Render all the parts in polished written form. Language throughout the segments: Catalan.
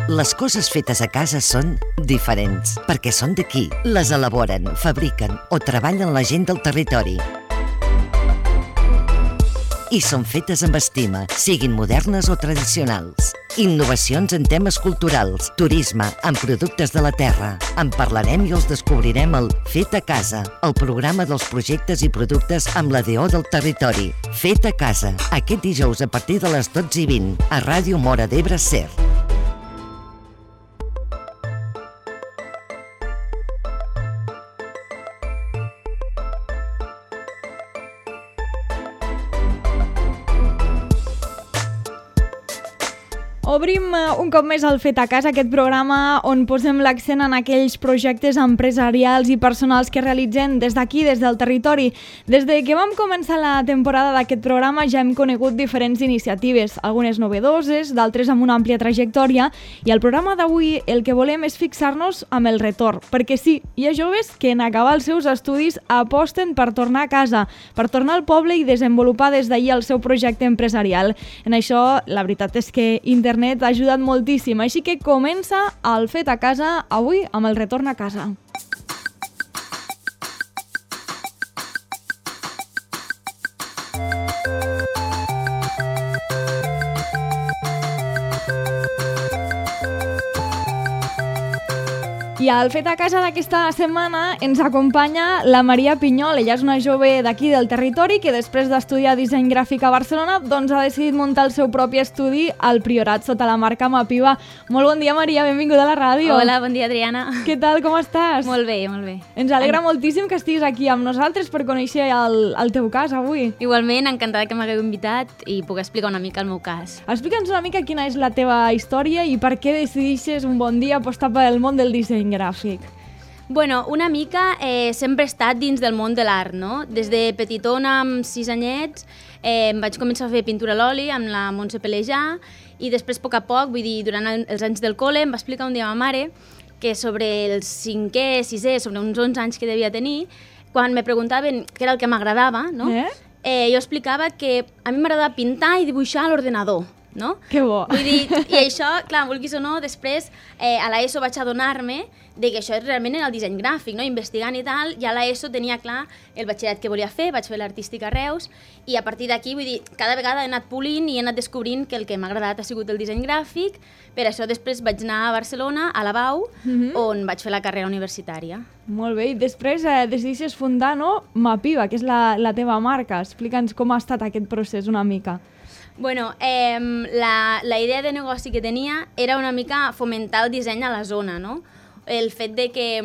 Les coses fetes a casa són diferents, perquè són d'aquí. Les elaboren, fabriquen o treballen la gent del territori. I són fetes amb estima, siguin modernes o tradicionals. Innovacions en temes culturals, turisme, en productes de la terra. En parlarem i els descobrirem al Fet a Casa, el programa dels projectes i productes amb la DO del territori. Fet a Casa, aquest dijous a partir de les 12:20, a Ràdio Móra d'Ebre SER. Obrim un cop més el Fet a Casa, aquest programa on posem l'accent en aquells projectes empresarials i personals que realitzen des d'aquí, des del territori. Des de que vam començar la temporada d'aquest programa ja hem conegut diferents iniciatives, algunes novedoses, d'altres amb una àmplia trajectòria, i al programa d'avui el que volem és fixar-nos amb el retorn, perquè sí, hi ha joves que en acabar els seus estudis aposten per tornar a casa, per tornar al poble i desenvolupar des d'ahir el seu projecte empresarial. En això, la veritat és que internet ha ajudat moltíssim, així que comença el Fet a Casa avui amb el retorn a casa. I al Fet a Casa d'aquesta setmana ens acompanya la Maria Pinyol. Ella és una jove d'aquí del territori que després d'estudiar disseny gràfic a Barcelona doncs ha decidit muntar el seu propi estudi al Priorat sota la marca Mapiva. Molt bon dia, Maria, benvinguda a la ràdio. Hola, bon dia, Adriana. Què tal, com estàs? Molt bé, molt bé. Ens alegra moltíssim que estiguis aquí amb nosaltres per conèixer el teu cas avui. Igualment, encantada que m'hagueu invitat i puc explicar una mica el meu cas. Explica'ns una mica quina és la teva història i per què decideixes un bon dia apostar pel món del disseny gràfic. Bueno, una mica sempre he estat dins del món de l'art, no? Des de petitona, amb 6 anyets, em vaig començar a fer pintura a l'oli amb la Montse Pelejà i després, a poc, vull dir, durant els anys del col·le, em va explicar un dia a ma mare que sobre el 5è, 6è, sobre uns 11 anys que devia tenir, quan me preguntaven què era el que m'agradava, no? Jo explicava que a mi m'agradava pintar i dibuixar a l'ordenador, no? Que bo! Vull dir, i això, clar, vulguis o no, després a l'ESO vaig adonar-me de que això realment era el disseny gràfic, no? Investigant i tal, ja a l'ESO tenia clar el batxillerat que volia fer, vaig fer l'artístic a Reus, i a partir d'aquí, vull dir, cada vegada he anat polint i he anat descobrint que el que m'ha agradat ha sigut el disseny gràfic. Per això després vaig anar a Barcelona, a la BAU, on vaig fer la carrera universitària. Molt bé, i després decideixes fundar, no?, Mapiva, que és la teva marca. Explica'ns com ha estat aquest procés una mica. Bueno, la idea de negoci que tenia era una mica fomentar el disseny a la zona, no? El fet de que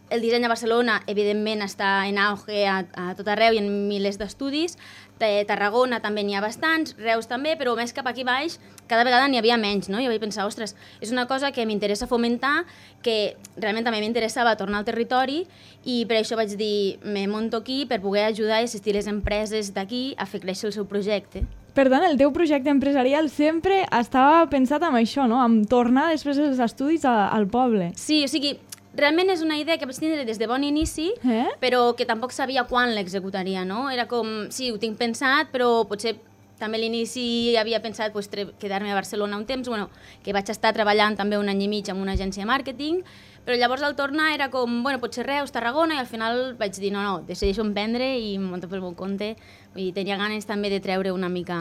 el disseny a Barcelona, evidentment, està en auge a tot arreu i en milers d'estudis. Tarragona també n'hi ha bastants, Reus també, però més cap aquí baix cada vegada n'hi havia menys, no? I vaig pensar, ostres, és una cosa que m'interessa fomentar, que realment també m'interessava tornar al territori, i per això vaig dir, me monto aquí per poder ajudar i assistir les empreses d'aquí a fer créixer el seu projecte. Perdona, el teu projecte empresarial sempre estava pensat en això, no?, en tornar després dels estudis al poble. Sí, o sigui, realment és una idea que vaig tindre des de bon inici, però que tampoc sabia quan l'executaria, no? Era com, sí, ho tinc pensat, però potser també a l'inici havia pensat pues, quedar-me a Barcelona un temps, bueno, que vaig estar treballant també un any i mig amb una agència de màrqueting, però llavors al tornar era com, bueno, potser Reus, Tarragona, i al final vaig dir, no, decideixo emprendre i em monto pel meu compte. Vull dir, tenia ganes també de treure una mica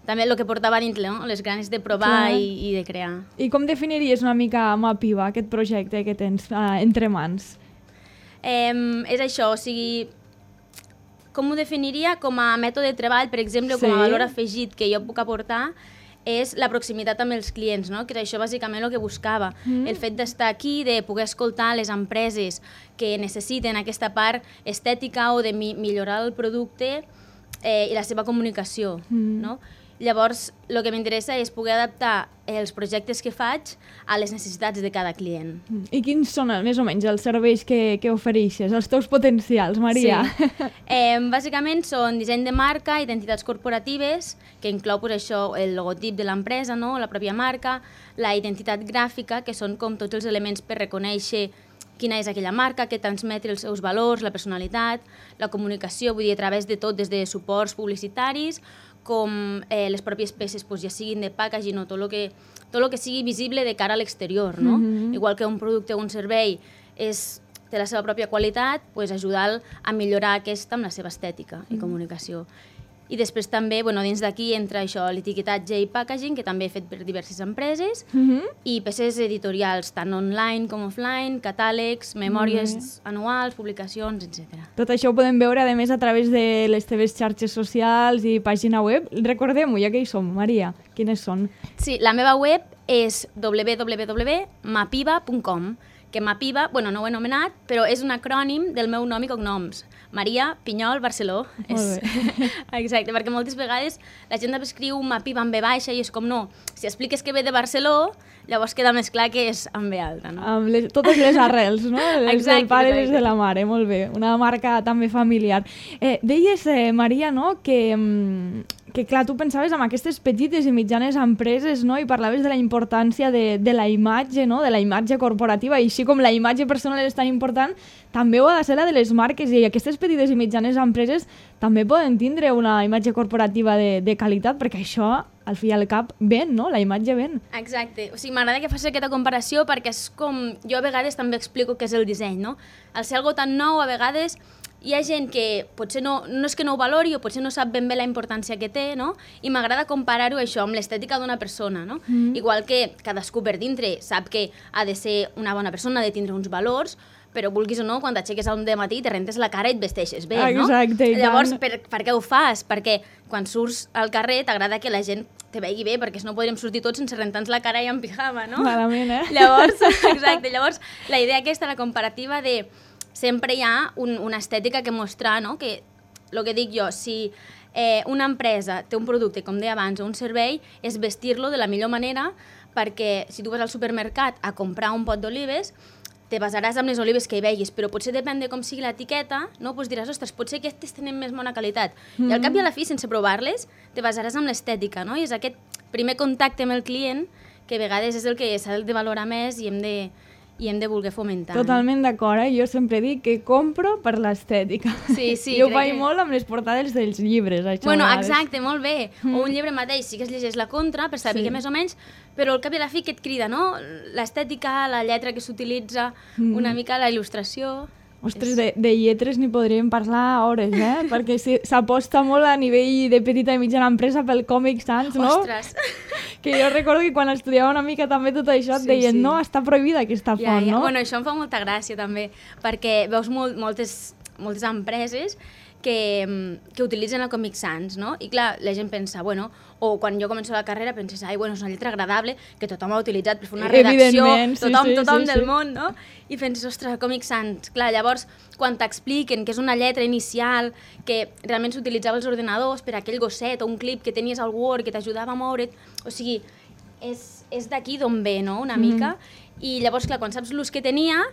també el que portava dintre, no? Les ganes de provar i de crear. I com definiries una mica Mapiva, aquest projecte que tens entre mans? És això, o sigui, com ho definiria? Com a mètode de treball, per exemple, com a valor afegit que jo puc aportar, és la proximitat amb els clients, no? Que és això bàsicament el que buscava. El fet d'estar aquí, de poder escoltar les empreses que necessiten aquesta part estètica o de millorar el producte i la seva comunicació, no? Llavors, el que m'interessa és poder adaptar els projectes que faig a les necessitats de cada client. I quins són, més o menys, els serveis que ofereixes, els teus potencials, Maria? Sí. Bàsicament són disseny de marca, identitats corporatives, que inclou pues, això, el logotip de l'empresa, no? La pròpia marca, la identitat gràfica, que són com tots els elements per reconèixer quina és aquella marca, que transmet els seus valors, la personalitat, la comunicació, vull dir, a través de tot, des de suports publicitaris, com les pròpies peces ja siguin de packaging o tot el que sigui visible de cara a l'exterior, no? Igual que un producte o un servei té la seva pròpia qualitat, ajudar a millorar aquesta amb la seva estètica i comunicació. I després també, dins d'aquí entra això, l'etiquetatge i packaging, que també he fet per diverses empreses, i peces editorials, tant online com offline, catàlegs, memòries anuals, publicacions, etc. Tot això ho podem veure, a més, a través de les teves xarxes socials i pàgina web. Recordem-ho, ja que hi som, Maria, quines són? Sí, la meva web és www.mapiva.com, que Mapiva, no ho he anomenat, però és un acrònim del meu nom i cognoms. Maria Pinyol Barceló. Molt bé. Exacte, perquè moltes vegades la gent escriu Mapiva amb B baixa i és com no. Si expliques que ve de Barceló, llavors queda més clar que és amb B alta, no? Amb totes les arrels, no? Les del pare i les de la mare, molt bé. Una marca també familiar. Deies, Maria, no?, que clar, tu pensaves en aquestes petites i mitjanes empreses, no?, i parlaves de la importància de la imatge, no?, de la imatge corporativa, i així com la imatge personal és tan important, també ho ha de ser la de les marques, i aquestes petites i mitjanes empreses també poden tindre una imatge corporativa de qualitat, perquè això, al fi i al cap, ven, no?, la imatge ven. Exacte, o sigui, m'agrada que facis aquesta comparació perquè és com, jo a vegades també explico què és el disseny, no? Al ser algo tan nou, a vegades hi ha gent que potser no és que no ho valori o potser no sap ben bé la importància que té, no? I m'agrada comparar-ho això amb l'estètica d'una persona, no? Igual que cadascú per dintre sap que ha de ser una bona persona, ha de tindre uns valors, però vulguis o no, quan t'aixeques al matí te rentes la cara i et vesteixes bé, no? Exacte. Llavors, per què ho fas? Perquè quan surts al carrer t'agrada que la gent te vegi bé, perquè si no podríem sortir tots sense rentar-nos la cara i en pijama, no? Malament, Llavors, exacte, llavors la idea aquesta, la comparativa de sempre hi ha una estètica que mostrar, no? Que, el que dic jo, si una empresa té un producte, com deia abans, o un servei, és vestir-lo de la millor manera, perquè si tu vas al supermercat a comprar un pot d'olives, te basaràs amb les olives que hi veguis, però potser depèn de com sigui l'etiqueta, no? Pues diràs, ostres, potser aquestes tenen més bona qualitat. I al cap i a la fi, sense provar-les, te basaràs amb l'estètica, no? I és aquest primer contacte amb el client que a vegades és el que s'ha de valorar més i hem de voler fomentar. Totalment d'acord, Jo sempre dic que compro per l'estètica. Sí, sí. I ho faig molt amb les portades dels llibres, això. Exacte, molt bé. O un llibre mateix, sí que es llegeix la contra, per saber que més o menys, però al cap i a la fi que et crida, no? L'estètica, la lletra que s'utilitza, una mica la il·lustració... Ostres, de lletres n'hi podríem parlar hores, perquè s'aposta molt a nivell de petita i mitjana empresa pel Comic Sans, no? Ostres! Que jo recordo que quan estudiava una mica també tot això et deien, no, està prohibida aquesta font, no? Bueno, això em fa molta gràcia també, perquè veus moltes empreses que utilitzen el Comic Sans, no? I clar, la gent pensa, o quan jo començo la carrera penses, és una lletra agradable que tothom ha utilitzat per fer una redacció, tothom del món, no? I penses, ostres, Comic Sans. Clar, llavors, quan t'expliquen que és una lletra inicial, que realment s'utilitzava als ordenadors per aquell gosset o un clip que tenies al Word que t'ajudava a moure't, o sigui, és d'aquí d'on ve, no?, una mica. I llavors, clar, quan saps l'ús que tenia,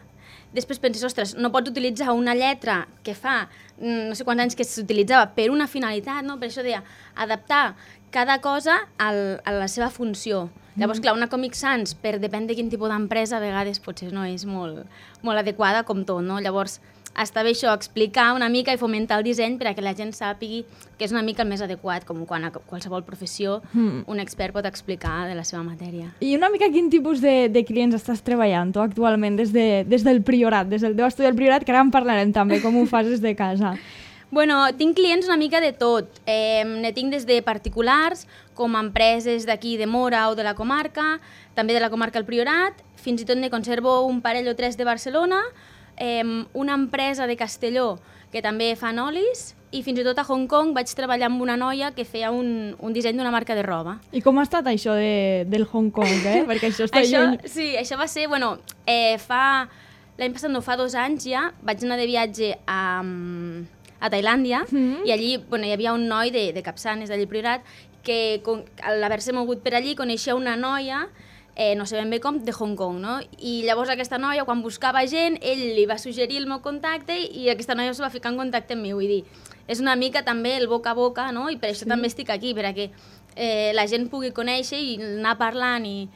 després penses, ostres, no pots utilitzar una lletra que fa no sé quants anys que s'utilitzava per una finalitat, no? Per això deia, adaptar cada cosa a la seva funció. Llavors, clar, una Comic Sans, depèn de quin tipus d'empresa, a vegades potser no és molt adequada com tot, no? Llavors, està bé això, explicar una mica i fomentar el disseny perquè la gent sàpigui que és una mica el més adequat, com quan a qualsevol professió un expert pot explicar de la seva matèria. I una mica quin tipus de clients estàs treballant tu actualment des del Priorat, des del teu estudi del Priorat, que ara en parlarem també, com ho fas des de casa? Tinc clients una mica de tot. Ne tinc des de particulars, com empreses d'aquí de Móra o de la comarca, també de la comarca del Priorat, fins i tot ne conservo un parell o tres de Barcelona, una empresa de Castelló que també fan olis, i fins i tot a Hong Kong vaig treballar amb una noia que feia un disseny d'una marca de roba. I com ha estat això del Hong Kong, perquè això està lluny? Sí, això va ser, l'any passat, no, fa 2 anys ja, vaig anar de viatge a Tailàndia, i allí hi havia un noi de Capçanes, d'allí Priorat, que a l'haver-se mogut per allí coneixia una noia, no sé ben bé com, de Hong Kong, no? I llavors aquesta noia, quan buscava gent, ell li va suggerir el meu contacte i aquesta noia es va ficar en contacte amb mi, vull dir, és una mica també el boca a boca, no? I per això també estic aquí, perquè la gent pugui conèixer i anar parlant i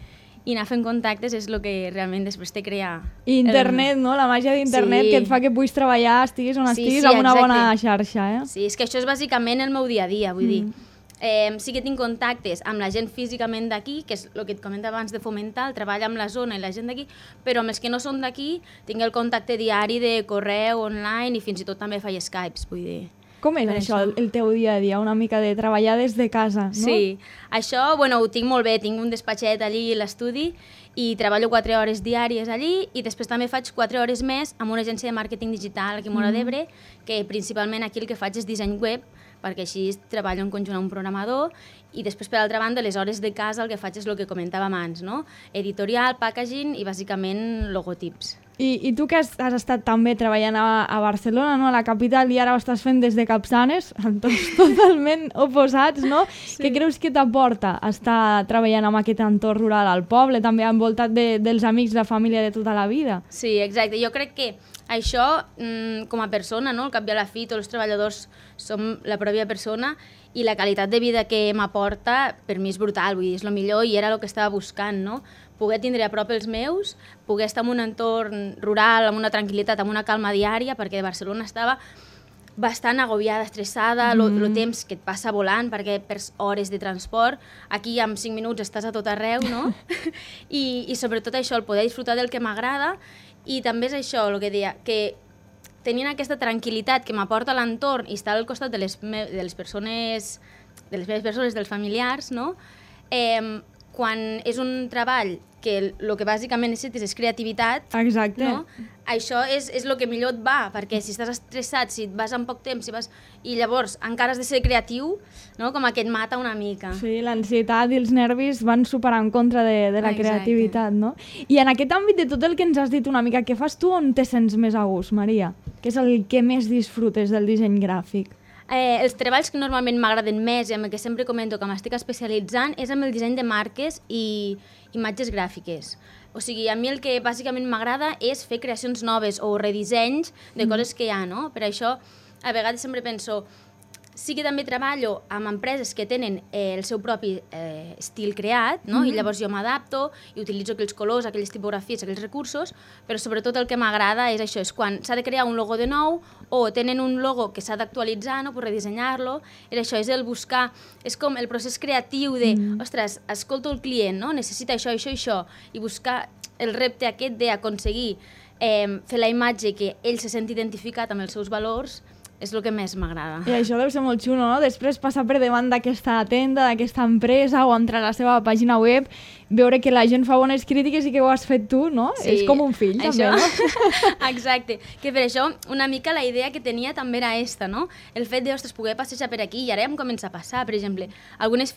anar fent contactes és el que realment després te crea... Internet, no? La màgia d'internet que et fa que puguis treballar, estiguis on estiguis, amb una bona xarxa, Sí, és que això és bàsicament el meu dia a dia, vull dir, sí que tinc contactes amb la gent físicament d'aquí, que és el que et comentava abans de fomentar, el treball amb la zona i la gent d'aquí, però amb els que no són d'aquí tinc el contacte diari de correu, online i fins i tot també faig Skypes, vull dir. Com és això, el teu dia a dia? Una mica de treballar des de casa, no? Sí, això, bueno, ho tinc molt bé, tinc un despatxet allí a l'estudi i treballo 4 hores diàries allí i després també faig 4 hores més amb una agència de màrqueting digital aquí a Móra d'Ebre, que principalment aquí el que faig és disseny web, perquè així treballo en conjunt amb un programador i després, per altra banda, les hores de casa el que faig és el que comentàvem abans, no? Editorial, packaging i bàsicament logotips. I tu que has estat també treballant a Barcelona, no? A la capital, i ara ho estàs fent des de Capçanes, tots totalment oposats, no? Sí. Què creus que t'aporta estar treballant en aquest entorn rural al poble, també envoltat dels amics, la família de tota la vida? Sí, exacte. Jo crec que això, com a persona, no? Al cap i a la fi, tots els treballadors som la pròpia persona i la qualitat de vida que m'aporta per mi és brutal, vull dir, és el millor i era el que estava buscant, no? Poder tindre a prop els meus, poder estar en un entorn rural, amb una tranquil·litat, amb una calma diària, perquè Barcelona estava bastant agobiada, estressada, el temps que et passa volant, perquè perds hores de transport, aquí en 5 minuts estàs a tot arreu, no? I sobretot això, el poder disfrutar del que m'agrada, i també és això, el que deia, que tenint aquesta tranquil·litat que m'aporta l'entorn i estar al costat de les meves persones, dels familiars, no? Quan és un treball que el que bàsicament necessites és creativitat, exacte, no? Això és el que millor et va, perquè si estàs estressat, si vas en poc temps, i llavors encara has de ser creatiu, no? Com que et mata una mica. Sí, l'ansietat i els nervis van superar en contra de la creativitat, no? I en aquest àmbit de tot el que ens has dit una mica, què fas tu on te sents més a gust, Maria? Què és el que més disfrutes del disseny gràfic? Els treballs que normalment m'agraden més i amb el que sempre comento que m'estic especialitzant és amb el disseny de marques i imatges gràfiques. O sigui, a mi el que bàsicament m'agrada és fer creacions noves o redissenys de coses que hi ha, no? Per això, a vegades sempre penso, sí que també treballo amb empreses que tenen el seu propi estil creat, no? I llavors jo m'adapto i utilitzo aquells colors, aquelles tipografies, aquells recursos, però sobretot el que m'agrada és això, és quan s'ha de crear un logo de nou o tenen un logo que s'ha d'actualitzar, no? Per redissenyar-lo, és això, és el buscar, és com el procés creatiu de, ostres, escolto el client, no? Necessita això, això i això, i buscar el repte aquest d'aconseguir fer la imatge que ell se senti identificat amb els seus valors, és el que més m'agrada. I això deu ser molt xulo, no? Després passar per davant d'aquesta tenda, d'aquesta empresa o entrar a la seva pàgina web, veure que la gent fa bones crítiques i que ho has fet tu, no? Sí, és com un fill, això, també, no? Exacte. Que per això una mica la idea que tenia també era esta, no? El fet de, ostres, poder passejar per aquí i ara ja em comença a passar, per exemple, algunes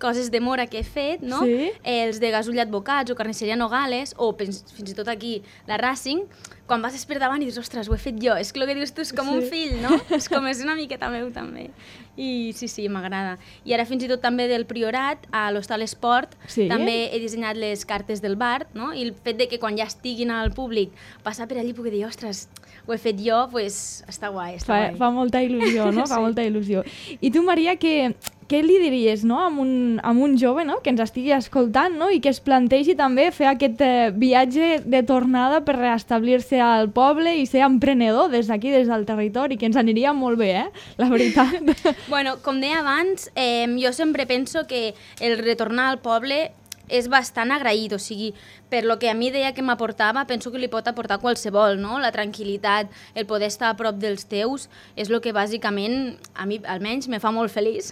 coses de mora que he fet, no? Sí? Els de Gasull Advocats o Carnisseria Nogales o fins i tot aquí la Racing, quan vas per davant i dius, ostres, ho he fet jo. És que el que dius tu és com un fill, no? És una miqueta meu, també. I sí, m'agrada. I ara fins i tot també del Priorat, a l'Hostal Esport, també he dissenyat les cartes del bar, no? I el fet de que quan ja estiguin al públic, passar per allí i poder dir, ostres, ho he fet jo, pues està guai, està guai. Fa molta il·lusió, no? Fa molta il·lusió. I tu, Maria, què li diries, no? a un jove, no? Que ens estigui escoltant, no? I que es plantegi també fer aquest viatge de tornada per reestablir-se al poble i ser emprenedor des d'aquí, des del territori, que ens aniria molt bé, la veritat. Bueno, com deia abans, jo sempre penso que el retornar al poble és bastant agraït, o sigui, per lo que a mi deia que m'aportava, penso que li pot aportar qualsevol, no? La tranquil·litat, el poder estar a prop dels teus, és el que bàsicament, a mi almenys, me fa molt feliç.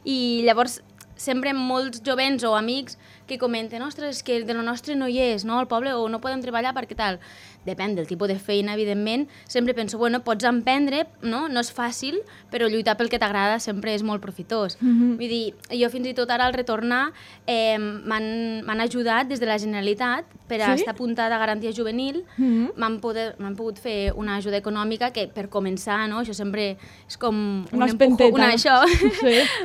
I llavors, sempre molts jovents o amics que comenten, ostres, és que de lo nostre no hi és, no? Al poble, o no podem treballar perquè tal. Depèn del tipus de feina, evidentment. Sempre penso, bueno, pots emprendre, no? No és fàcil, però lluitar pel que t'agrada sempre és molt profitós. Vull dir, jo fins i tot ara al retornar m'han ajudat des de la Generalitat per a estar apuntada a garantia juvenil. M'han pogut fer una ajuda econòmica que per començar, no? Això sempre és com una espenteta.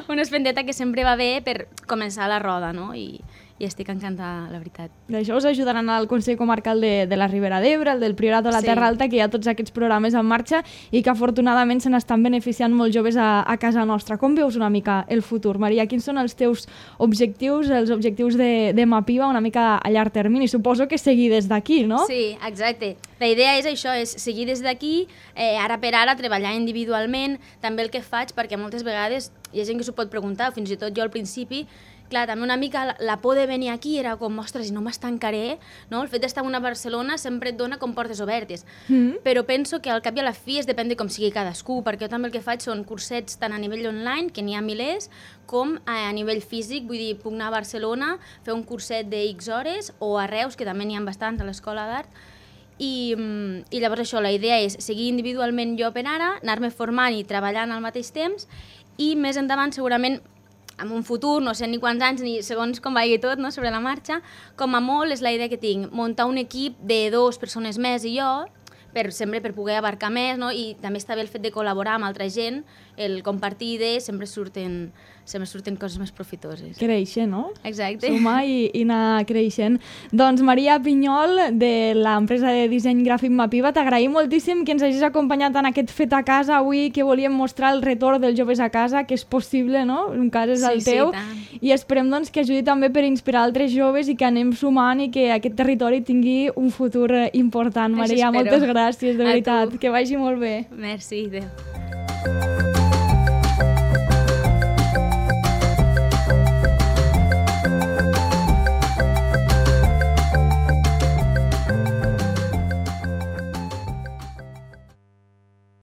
Una espenteta que sempre va bé per començar la roda, no? I estic encantada, la veritat. D'això us ajudaran al Consell Comarcal de la Ribera d'Ebre, el del Priorat de la Terra Alta, que hi ha tots aquests programes en marxa i que afortunadament se n'estan beneficiant molts joves a casa nostra. Com veus una mica el futur, Maria? Quins són els teus objectius, els objectius de Mapiva una mica a llarg termini? Suposo suposo que seguir des d'aquí, no? Sí, exacte. La idea és això, és seguir des d'aquí, ara per ara, treballar individualment, també el que faig, perquè moltes vegades hi ha gent que s'ho pot preguntar, fins i tot jo al principi, clar, també una mica la por de venir aquí era com, ostres, i no m'estancaré, no? El fet d'estar a Barcelona sempre et dona com portes obertes, però penso que al cap i a la fi depèn de com sigui cadascú, perquè jo també el que faig són cursets tant a nivell online, que n'hi ha milers, com a nivell físic, vull dir, puc anar a Barcelona, fer un curset de X hores, o a Reus, que també n'hi ha bastants a l'Escola d'Art, i llavors això, la idea és seguir individualment jo per ara, anar-me formant i treballant al mateix temps, i més endavant segurament en un futur, no sé ni quants anys ni segons com vagi tot, no, sobre la marxa, com a molt és la idea que tinc, muntar un equip de 2 persones més i jo, sempre per poder abarcar més, no? I també està bé el fet de col·laborar amb altra gent, el compartir idees, sempre surten coses més profitoses. Créixer, no? Exacte. Sumar i anar creixent. Doncs Maria Pinyol, de l'empresa de disseny gràfic Mapiva, t'agraïm moltíssim que ens hagis acompanyat en aquest fet a casa avui, que volíem mostrar el retorn dels joves a casa, que és possible, no? Un cas és el teu. Sí, i esperem doncs, que ajudi també per inspirar altres joves i que anem sumant i que aquest territori tingui un futur important. Maria, moltes gràcies, de veritat. Que vagi molt bé. Merci, adéu.